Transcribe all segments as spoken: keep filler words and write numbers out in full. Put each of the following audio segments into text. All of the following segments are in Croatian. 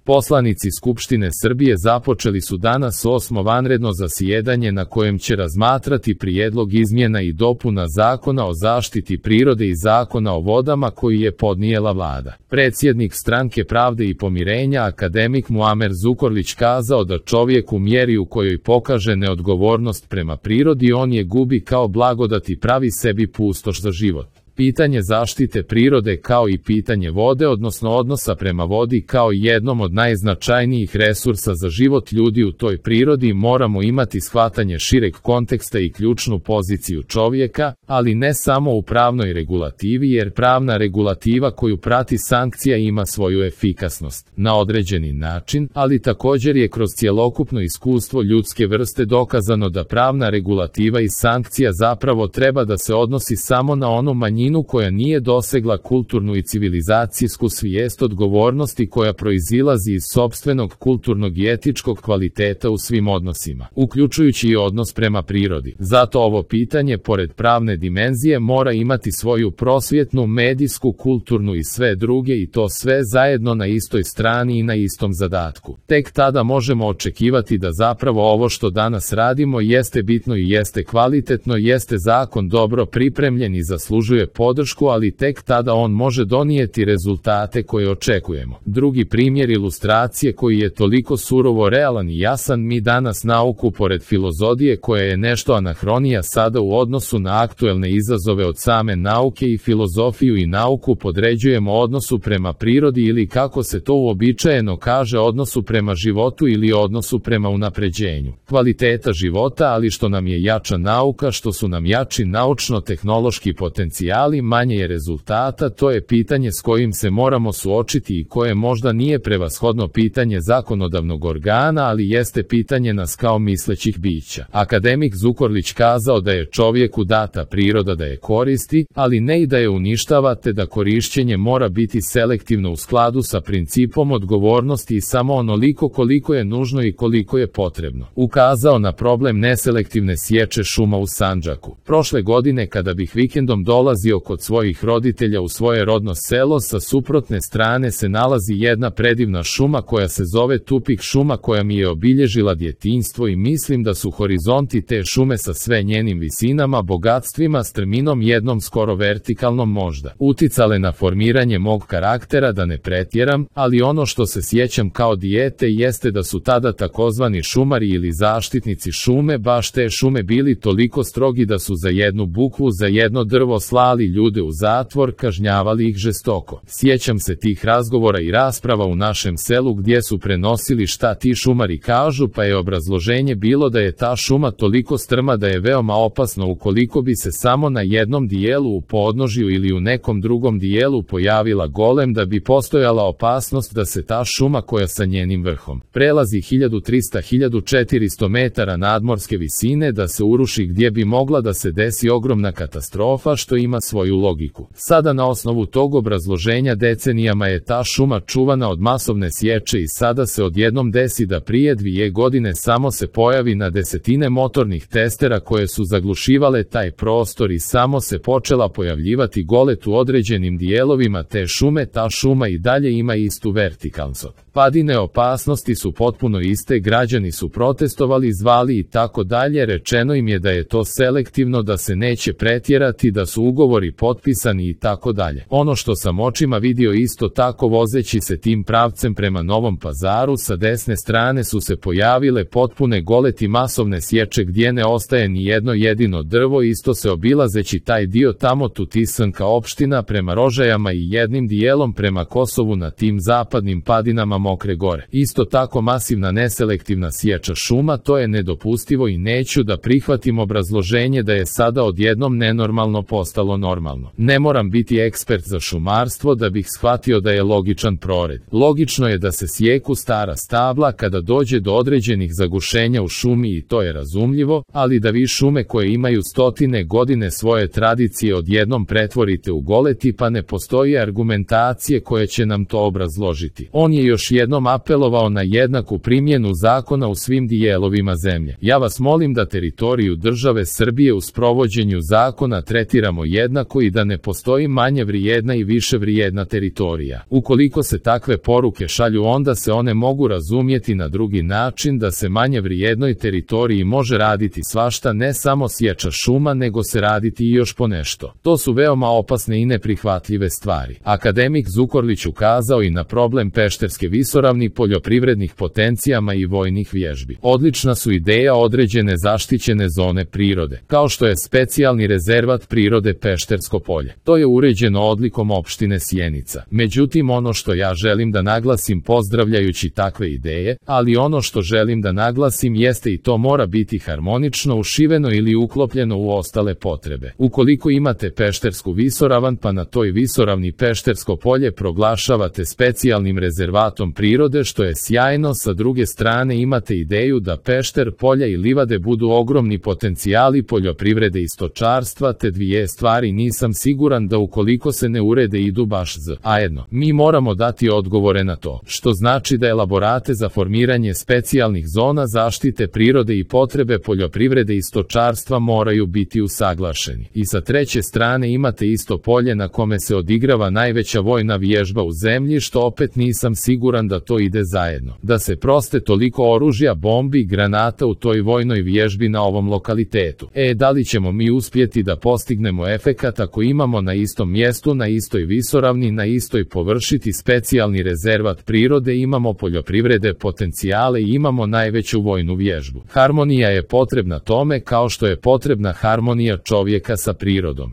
Poslanici Skupštine Srbije započeli su danas osmo vanredno zasjedanje na kojem će razmatrati prijedlog izmjena i dopuna Zakona o zaštiti prirode i Zakona o vodama koji je podnijela vlada. Predsjednik Stranke pravde i pomirenja akademik Muamer Zukorlić kazao da čovjek u mjeri u kojoj pokaže neodgovornost prema prirodi on je gubi kao blagodat i pravi sebi pustoš za život. Pitanje zaštite prirode kao i pitanje vode, odnosno odnosa prema vodi kao jednom od najznačajnijih resursa za život ljudi u toj prirodi, moramo imati shvatanje šireg konteksta i ključnu poziciju čovjeka, ali ne samo u pravnoj regulativi, jer pravna regulativa koju prati sankcija ima svoju efikasnost na određeni način, ali također je kroz cjelokupno iskustvo ljudske vrste dokazano da pravna regulativa i sankcija zapravo treba da se odnosi samo na onu manjinu koja nije dosegla kulturnu i civilizacijsku svijest odgovornosti koja proizilazi iz sopstvenog kulturnog i etičkog kvaliteta u svim odnosima, uključujući i odnos prema prirodi. Zato ovo pitanje, pored pravne dimenzije, mora imati svoju prosvjetnu, medijsku, kulturnu i sve druge, i to sve zajedno na istoj strani i na istom zadatku. Tek tada možemo očekivati da zapravo ovo što danas radimo jeste bitno i jeste kvalitetno, jeste zakon dobro pripremljen i zaslužuje podršku, ali tek tada on može donijeti rezultate koje očekujemo. Drugi primjer ilustracije koji je toliko surovo realan i jasan: mi danas nauku pored filozofije koja je nešto anahronija sada u odnosu na aktuelne izazove od same nauke, i filozofiju i nauku podređujemo odnosu prema prirodi, ili kako se to uobičajeno kaže, odnosu prema životu ili odnosu prema unapređenju kvaliteta života. Ali što nam je jača nauka, što su nam jači naučno-tehnološki potencijali, manje je rezultata. To je pitanje s kojim se moramo suočiti i koje možda nije prevashodno pitanje zakonodavnog organa, ali jeste pitanje nas kao mislećih bića. Akademik Zukorlić kazao da je čovjeku data priroda da je koristi, ali ne i da je uništava, te da korišćenje mora biti selektivno u skladu sa principom odgovornosti i samo onoliko koliko je nužno i koliko je potrebno. Ukazao na problem neselektivne sječe šuma u Sandžaku. Prošle godine kada bih vikendom dolazio kod svojih roditelja u svoje rodno selo, sa suprotne strane se nalazi jedna predivna šuma koja se zove Tupik šuma, koja mi je obilježila djetinjstvo, i mislim da su horizonti te šume sa sve njenim visinama, bogatstvima, strminom jednom skoro vertikalnom možda uticale na formiranje mog karaktera, da ne pretjeram, ali ono što se sjećam kao dijete jeste da su tada takozvani šumari ili zaštitnici šume baš te šume bili toliko strogi da su za jednu bukvu, za jedno drvo slali ljude u zatvor, kažnjavali ih žestoko. Sjećam se tih razgovora i rasprava u našem selu gdje su prenosili šta ti šumari kažu, pa je obrazloženje bilo da je ta šuma toliko strma da je veoma opasno ukoliko bi se samo na jednom dijelu u podnožju ili u nekom drugom dijelu pojavila golem, da bi postojala opasnost da se ta šuma koja sa njenim vrhom prelazi hiljadu trista do hiljadu četiristo metara nadmorske visine, da se uruši, gdje bi mogla da se desi ogromna katastrofa, što ima svoju logiku. Sada na osnovu tog obrazloženja decenijama je ta šuma čuvana od masovne sječe, i sada se odjednom desi da prije dvije godine samo se pojavi na desetine motornih testera koje su zaglušivale taj prostor, i samo se počela pojavljivati golet u određenim dijelovima te šume. Ta šuma i dalje ima istu vertikalnost. Padine opasnosti su potpuno iste, građani su protestovali, zvali i tako dalje, rečeno im je da je to selektivno, da se neće pretjerati, da su ugovori potpisani i tako dalje. Ono što sam očima vidio isto tako vozeći se tim pravcem prema Novom Pazaru, sa desne strane su se pojavile potpune goleti masovne sječe gdje ne ostaje ni jedno jedino drvo, isto se obilazeći taj dio tamo Tutisanka opština prema Rožajama i jednim dijelom prema Kosovu na tim zapadnim padinama Mokre Gore. Isto tako masivna neselektivna sječa šuma, to je nedopustivo i neću da prihvatim obrazloženje da je sada odjednom nenormalno postalo normalno. Ne moram biti ekspert za šumarstvo da bih shvatio da je logičan prored. Logično je da se sjeku stara stabla kada dođe do određenih zagušenja u šumi, i to je razumljivo, ali da vi šume koje imaju stotine godine svoje tradicije odjednom pretvorite u goleti, pa ne postoji argumentacije koje će nam to obrazložiti. On je još jednom apelovao na jednaku primjenu zakona u svim dijelovima zemlje. Ja vas molim da teritoriju države Srbije u sprovođenju zakona tretiramo jednako jednako i da ne postoji manje vrijedna i više vrijedna teritorija. Ukoliko se takve poruke šalju, onda se one mogu razumjeti na drugi način, da se manje vrijednoj teritoriji može raditi svašta, ne samo sječa šuma, nego se raditi i još ponešto. To su veoma opasne i neprihvatljive stvari. Akademik Zukorlić ukazao i na problem Pešterske visoravni, poljoprivrednih potencijama i vojnih vježbi. Odlična su ideja određene zaštićene zone prirode, kao što je specijalni rezervat prirode Peštersko polje. To je uređeno odlikom opštine Sjenica. Međutim, ono što ja želim da naglasim pozdravljajući takve ideje, ali ono što želim da naglasim jeste i to mora biti harmonično ušiveno ili uklopljeno u ostale potrebe. Ukoliko imate Peštersku visoravan pa na toj visoravni Peštersko polje proglašavate specijalnim rezervatom prirode, što je sjajno, sa druge strane imate ideju da Pešter, polja i livade budu ogromni potencijali poljoprivrede i stočarstva, te dvije stvari nisam siguran da ukoliko se ne urede idu baš zajedno. Mi moramo dati odgovore na to, što znači da elaborate za formiranje specijalnih zona zaštite prirode i potrebe poljoprivrede i stočarstva moraju biti usaglašeni. I sa treće strane imate isto polje na kome se odigrava najveća vojna vježba u zemlji, što opet nisam siguran da to ide zajedno. Da se proste toliko oružja, bombi i granata u toj vojnoj vježbi na ovom lokalitetu. E, da li ćemo mi uspjeti da postignemo efekat ako imamo na istom mjestu, na istoj visoravni, na istoj površiti specijalni rezervat prirode, imamo poljoprivrede potencijale i imamo najveću vojnu vježbu. Harmonija je potrebna tome kao što je potrebna harmonija čovjeka sa prirodom.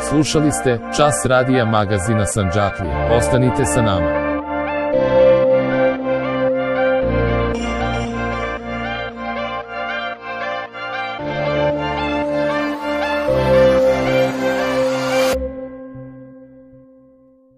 Slušali ste Čas radija magazina Sandžaklija. Ostanite sa nama.